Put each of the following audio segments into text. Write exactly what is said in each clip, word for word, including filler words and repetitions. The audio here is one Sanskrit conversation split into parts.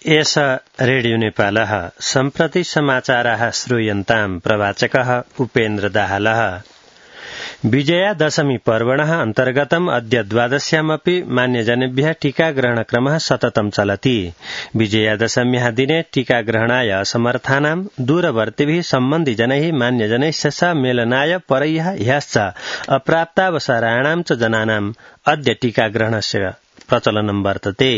एष रेडियो नेपालः सम्प्रति समाचाराः श्रूयन्ताम् प्रवाचकः उपेन्द्र दाहालः। विजयादशमी पर्वणः अन्तर्गतम् अद्य द्वादश्यामपि मान्यजनेभ्यः टीकाग्रहणक्रमः सततं चलति। विजयादशम्याः दिने टीकाग्रहणाय असमर्थानां दूरवर्तिभिः सम्बन्धिजनैः मान्यजनैश्च स मेलनाय परह्यः ह्यश्च अप्राप्तावसराणां च जनानाम् अद्य टीकाग्रहणस्य प्रचलनं वर्तते।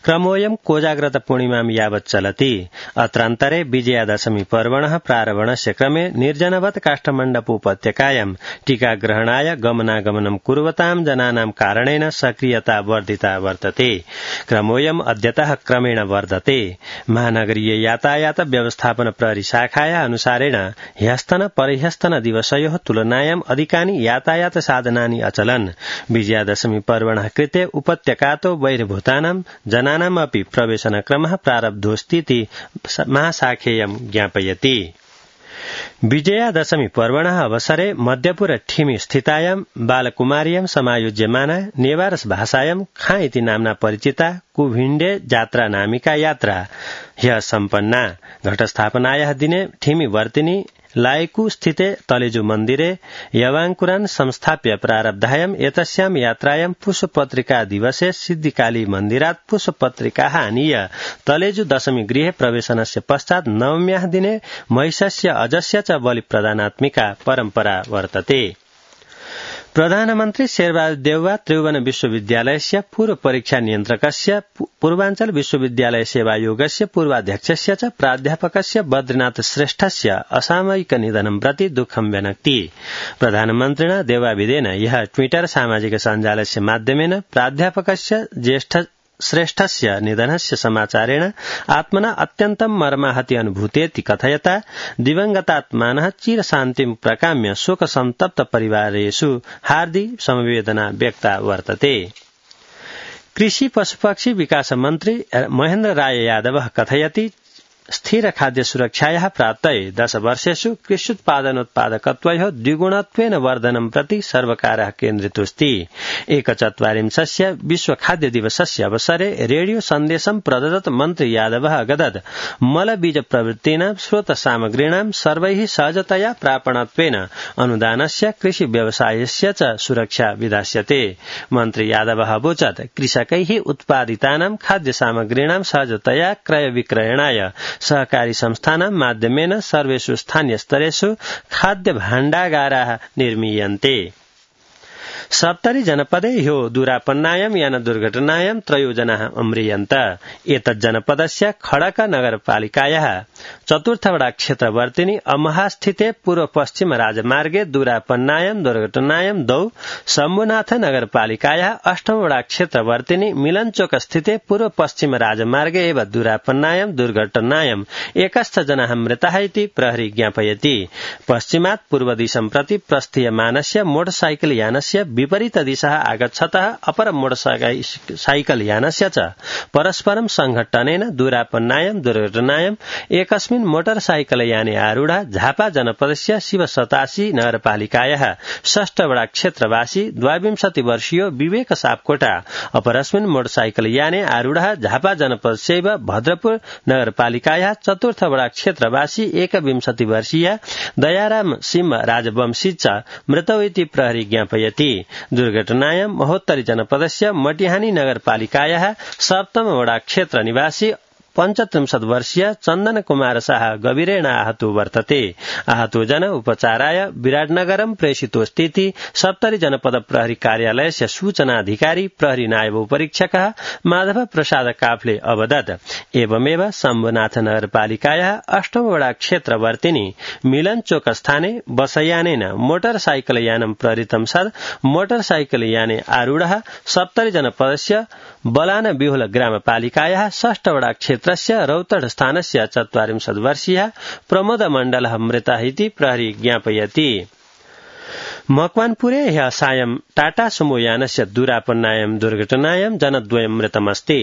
क्रमोऽयं कोजाग्रत पूर्णिमां यावत् चलति। अत्रान्तरे विजयादशमी पर्वणः प्रारम्भणस्य क्रमे निर्जनवत् काष्ठमण्डपोपत्यकायां टीकाग्रहणाय गमनागमनं कुर्वतां जनानां कारणेन सक्रियता वर्धिता वर्तते। क्रमोऽयं अद्यतः क्रमेण वर्धते। महानगरीय यातायात व्यवस्थापन प्रहरी शाखाया अनुसारेण ह्यस्तन परह्यस्तन दिवसयोः तुलनायां अधिकानि यातायात साधनानि अचलन्। विजयादशमी पर्वणः कृते उपत्यका तो बहिर्भूतानां जनानामपि प्रवेशनक्रमः प्रारब्धोऽस्तीति महाशाखेयं ज्ञापयति। विजयादशमी पर्वणः अवसरे मध्यपुर ठिमी स्थितायां बालकुमार्यां समायोज्यमाना नेवारस भाषायां खाँ इति नाम्ना परिचिता कुभिण्डे जात्रा नामिका यात्रा ह्यः सम्पन्ना। घटस्थापनायाः दिने ठिमी वर्तिनी लायकू स्थिते तलेजु मन्दिरे यवाङ्कुरान् संस्थाप्य प्रारब्धायाम् एतस्यां यात्रायां पुष्पपत्रिका दिवसे सिद्धिकाली मन्दिरात् पुष्पपत्रिकाः आनीय तलेजु दशमी गृहे प्रवेशनस्य पश्चात् नवम्याः दिने महिषस्य अजस्य च बलिप्रदानात्मिका परम्परा वर्तते। प्रधानमन्त्री शेरबहादुर देउवा त्रिभुवन विश्वविद्यालयस्य पूर्व परीक्षा नियन्त्रकस्य पूर्वाञ्चल विश्वविद्यालय सेवायोगस्य पूर्वाध्यक्षस्य च प्राध्यापकस्य बद्रीनाथ श्रेष्ठस्य असामयिक निधनं प्रति दुःखं व्यनक्ति। प्रधानमन्त्रिणा देवाविदेन यः ट्विटर सामाजिक सञ्जालस्य माध्यमेन प्राध्यापकस्य ज्येष्ठ श्रेष्ठस्य निधनस्य समाचारेण आत्मना अत्यन्तं मर्माहति अनुभूतेति कथयता दिवंगतात्मानः चिरशान्तिं प्रकाम्य शोकसन्तप्त परिवारेषु हार्दिक समवेदना व्यक्ता वर्तते। कृषि पशुपक्षी विकास मन्त्री महेन्द्र राय यादवः कथयति स्थिर खाद्य सुरक्षायाः प्राप्तये दश वर्षेषु कृष्युत्पादनोत्पादकत्वयोः द्विगुणत्वेन वर्धनं प्रति सर्वकारः केन्द्रितोऽस्ति। एकचत्वारिंशस्य विश्व खाद्य दिवसस्य अवसरे रेडियो सन्देशं प्रददत् मन्त्री यादवः अगदत् मलबीज प्रवृत्तीनां स्रोत सामग्रीणां सर्वैः सहजतया प्रापणत्वेन अनुदानस्य कृषि व्यवसायस्य च सुरक्षा विधास्यते। मन्त्री यादवः अवोचत् कृषकैः उत्पादितानां खाद्य सामग्रीणां सहजतया क्रय विक्रयणाय सहकारी संस्थानां माध्यमेन सर्वेषु स्थानीय स्तरेषु खाद्य भाण्डागाराः निर्मीयन्ते। सप्तरी जनपदे ह्यो दूरापन्नायां यान दुर्घटनायां त्रयो जनाः अम्रियन्त। एतज्जनपदस्य खडक नगरपालिकायाः चतुर्थवडा क्षेत्रवर्तिनी अमहास्थिते पूर्व पश्चिम राजमार्गे दूरापन्नायां दुर्घटनायां द्वौ शम्भुनाथ नगरपालिकायाः अष्टमवडा क्षेत्रवर्तिनी मिलनचोक स्थिते पूर्व पश्चिम राजमार्गे एव दूरापन्नायां दुर्घटनायां एकश्च जनाः मृताः इति प्रहरी ज्ञापयति। पश्चिमात् पूर्वदिशं प्रति प्रस्थीयमानस्य मोटरसाइकल यानस्य विपरीत दिशः आगच्छतः अपर मोटरसाइकल यानस्य च परस्परं संघट्टनेन दूरापन्नायां दुर्घटनायां एकस्मिन् मोटरसाइकल याने आरूढा झापा जनपदस्य शिवसतासी नगरपालिकायाः षष्ठवडा क्षेत्रवासी द्वाविंशति वर्षीयो विवेक सापकोटा अपरस्मिन् मोटरसाइकल याने आरूढः झापा जनपदस्यैव भद्रपुर नगरपालिकायाः चतुर्थवडा क्षेत्रवासी एकविंशति वर्षीय दयाराम सिंह राजवंशी च मृतौ इति प्रहरी ज्ञापयति। दुर्घटनायां महोत्तरी जनपदस्य मटिहानी नगरपालिकायाः सप्तमवडा क्षेत्र निवासी पञ्चत्रिंशत् वर्षीय चन्दन कुमार शाह गभीरेण आहतो वर्तते। आहतो जन उपचाराय विराटनगरं प्रेषितोऽस्तीति सप्तरी जनपद प्रहरी कार्यालयस्य सूचनाधिकारी प्रहरी नायब उपरीक्षकः माधव प्रसाद काफले अवदत्। एवमेव शम्भुनाथ नगरपालिकायाः अष्टमवडा क्षेत्रवर्तिनी मिलनचोक स्थाने बसयानेन मोटरसाइकल यानं प्रहृतं सद् मोटरसाइकल याने आरूढः सप्तरी जनपदस्य बलान बिहुल ग्रामपालिकायाः षष्ठवडा क्षेत्रस्य रौतड स्थानस्य चत्वारिंशत् वर्षीयः प्रमोद मण्डलः मृतः इति प्रहरी ज्ञापयति। मकवानपुरे ह्यः सायं टाटा सुमो यानस्य दूरापन्नायां दुर्घटनायां जनद्वयं मृतमस्ति।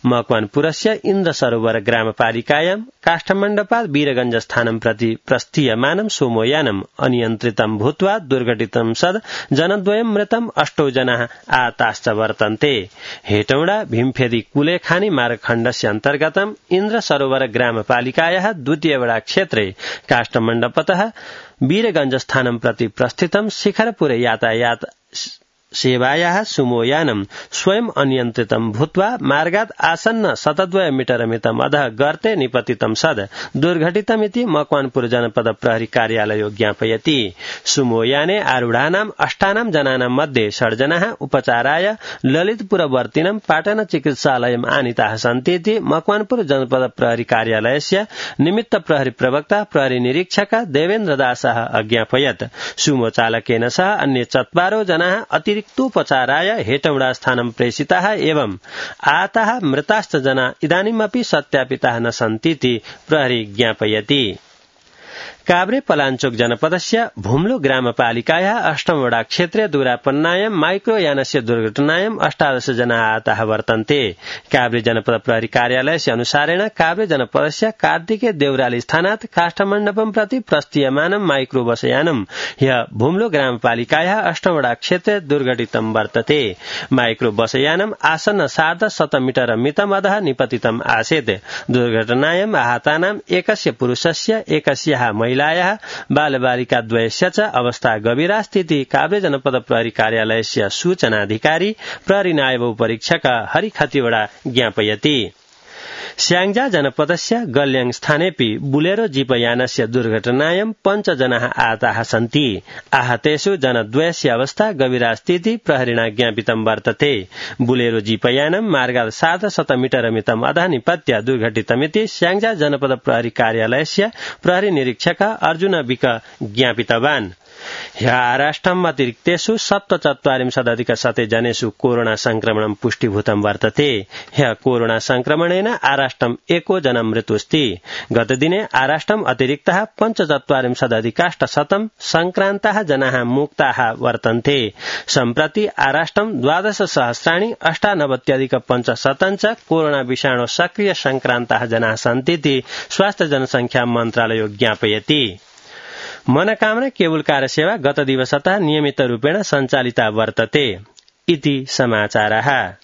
मकवानपुरस्य इन्द्रसरोवर ग्रामपालिकायां काष्ठमण्डपात् वीरगञ्जस्थानं प्रति प्रस्थीयमानं सोमोयानम् अनियन्त्रितं भूत्वा दुर्घटितं सद् जनद्वयं मृतम् अष्टौ जनाः आताश्च वर्तन्ते। हेटौडा भीमफेदी कुलेखानी मार्गखण्डस्य अन्तर्गतम् इन्द्रसरोवर ग्रामपालिकायाः द्वितीयवडा क्षेत्रे काष्ठमण्डपतः वीरगञ्जस्थानं प्रति प्रस्थितं शिखरपुरे यातायात सेवायाः सुमोयानं स्वयं अनियन्त्रितं भूत्वा मार्गात् आसन्न शतद्वय मीटर मितम् अधः गर्ते निपतितं सद् दुर्घटितमिति मकवानपुर जनपद प्रहरी कार्यालयो ज्ञापयति। सुमोयाने आरूढानाम् अष्टानां जनानां मध्ये षड् जनाः उपचाराय ललितपुरवर्तिनं पाटन चिकित्सालयम् आनीताः सन्तीति मकवानपुर जनपद प्रहरी कार्यालयस्य निमित्त प्रहरी प्रवक्ता प्रहरी निरीक्षक देवेन्द्र दासः अज्ञापयत्। सुमो चालकेन सह अन्य चत्वारो जनाः अतिरिक्त उपचाराय हेटौडा स्थानं प्रेषिताः एवं आताः मृताश्च जना इदानीमपि सत्यापिताः न सन्तीति प्रहरी ज्ञापयति। काभ्रे पलाञ्चोक जनपदस्य भुम्लो ग्रामपालिकायाः अष्टमवडा क्षेत्रे दूरापन्नायां माइक्रोयानस्य दुर्घटनायां अष्टादश जनाः आताः वर्तन्ते। काभ्रे जनपद प्रहरी कार्यालयस्य अनुसारेण काभ्रे जनपदस्य कार्तिके देउराली स्थानात् काष्ठमण्डपं प्रति प्रस्थीयमानं माइक्रो बसयानं ह्यः भुम्लो ग्रामपालिकायाः अष्टमवडा क्षेत्रे दुर्घटितं वर्तते। माइक्रो बसयानम् आसन्न सार्धशत मीटर मितम् अधः निपतितम् आसीत्। दुर्घटनायां आहतानाम् एकस्य पुरुषस्य एकस्याः महिलायाः बालबालिकाद्वयस्य च अवस्था गभीरास्तीति काभ्रे जनपद प्रहरी कार्यालयस्य सूचनाधिकारी प्रहरी नायब परीक्षक हरि खतिवडा ज्ञापयति। स्याङ्जा जनपदस्य गल्याङ स्थानेपि बुलेरो जीपयानस्य दुर्घटनायां पञ्च जनाः आहताः सन्ति। आहतेषु जनद्वयस्य अवस्था गभीरास्तीति प्रहरिणा ज्ञापितं वर्तते। बुलेरो जीपयानं मार्गात् सार्धशत मीटर मितम् अधः निपत्य दुर्घटितमिति स्याङ्जा जनपद प्रहरी कार्यालयस्य प्रहरी निरीक्षक अर्जुन विक ज्ञापितवान्। ह्यः आराष्ट्रम् अतिरिक्तेषु सप्तचत्वारिंशदधिक शते जनेषु कोरोना संक्रमणं पुष्टिभूतं वर्तते। ह्यः कोरोना संक्रमणेन आराष्ट्रम् एको जनं मृत्युस्ति। गतदिने आराष्ट्रम् अतिरिक्तः पञ्चचत्वारिंशदधिकाष्टशतं संक्रान्ताः जनाः मुक्ताः वर्तन्ते। सम्प्रति आराष्ट्रम् द्वादश सहस्राणि अष्टानवत्यधिक पञ्चशतं च कोरोना विषाणो सक्रिय संक्रान्ताः जनाः सन्तीति स्वास्थ्य जनसंख्या मन्त्रालयो ज्ञापयति। मनोकामना केबुल कार्यसेवा गत दिवसतः नियमित रूपेण सञ्चालिता वर्तते इति समाचारः।